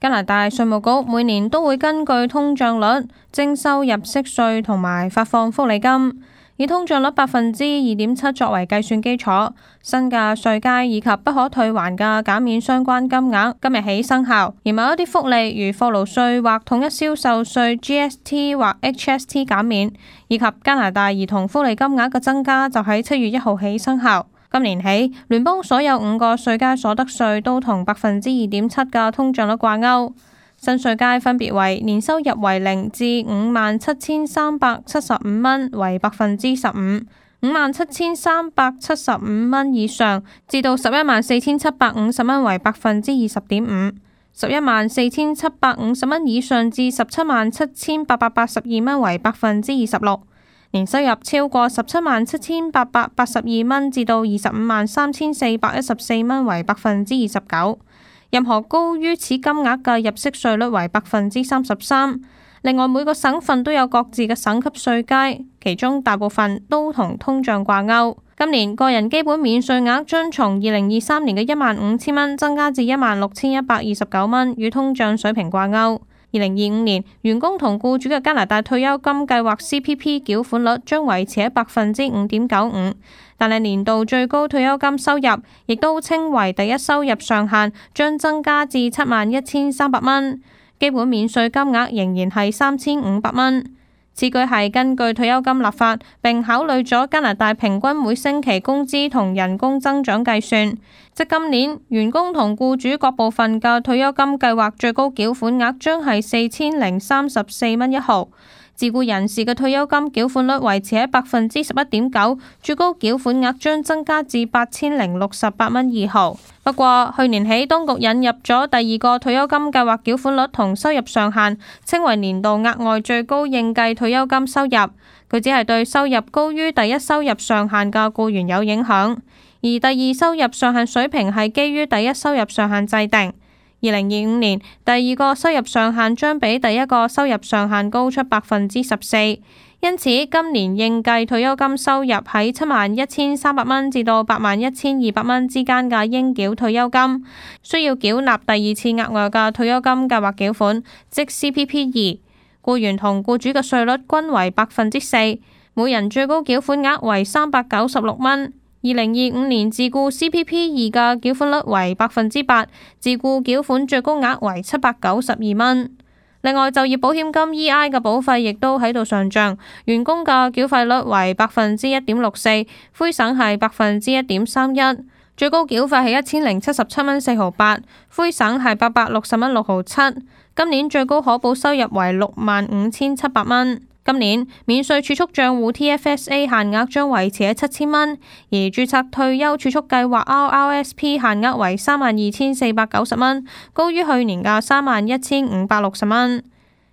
加拿大稅務局每年都會根據通脹率徵收入息稅同埋發放福利金，以通脹率2.7%作為計算基礎。新嘅稅階以及不可退還嘅減免相關金額今日起生效，而某一啲福利如貨勞稅或統一銷售稅 GST 或 HST 減免，以及加拿大兒童福利金額嘅增加就喺7月1號起生效。今年起，聯邦所有5個稅階所得稅都同2.7%嘅通脹率掛鈎。新稅階分別為年收入為0至57,375蚊為15%。57,375蚊以上至到11,4,750蚊為20.5%， 11,4,750蚊以上至17,782蚊為26%，年收入超過17,782蚊至到25,3,414蚊為29%，任何高於此金額嘅入息稅率為33%。另外，每個省份都有各自嘅省級稅階，其中大部分都同通脹掛鈎。今年個人基本免稅額將從2023年嘅15,000蚊增加至16,129蚊，與通脹水平掛鈎。2025年，員工同僱主嘅加拿大退休金計劃 CPP 繳款率將維持喺5.95%，但係年度最高退休金收入，亦都稱為第一收入上限，將增加至71,300蚊。基本免稅金額仍然係3,500蚊。此舉係根據退休金立法，並考慮咗加拿大平均每星期工資同人工增長計算。即今年員工同僱主各部分嘅退休金計劃最高繳款額將係4,034蚊1毫。自僱人士嘅退休金繳款率維持喺11.9%，最高繳款額將增加至8,068蚊2毫。不過去年起，當局引入咗第二個退休金計劃繳款率同收入上限，稱為年度額外最高應計退休金收入。佢只係對收入高於第一收入上限嘅僱員有影響，而第二收入上限水平係基於第一收入上限制定。2025年第二個收入上限將比第一個收入上限高出14%，因此今年應計退休金收入喺71,300蚊至到81,200蚊之間嘅應繳退休金，需要繳納第二次額外嘅退休金計劃繳款，即 CPP2。僱員同僱主嘅稅率均為4%，每人最高繳款額為396蚊。2025年自僱 CPP2 嘅繳款率為8%，自僱繳款最高額為792蚊。另外，就業保險金 EI 嘅保費亦都喺度上漲，員工嘅繳費率為1.64%，灰省係1.31%，最高繳費係1,077蚊4毫8，灰省係860蚊6毫7。今年最高可保收入為65,700蚊。今年免稅儲蓄賬戶 TFSA 限額將維持喺7,000蚊，而註冊退休儲蓄計劃 RRSP 限額為32,490蚊，高於去年嘅31,560蚊。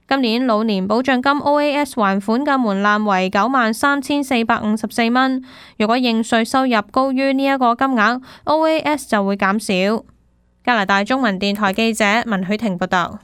今年老年保障金 OAS 還款嘅門檻為93,454蚊，如果應稅收入高於呢一個金額，OAS 就會減少。加拿大中文電台記者文許婷報道。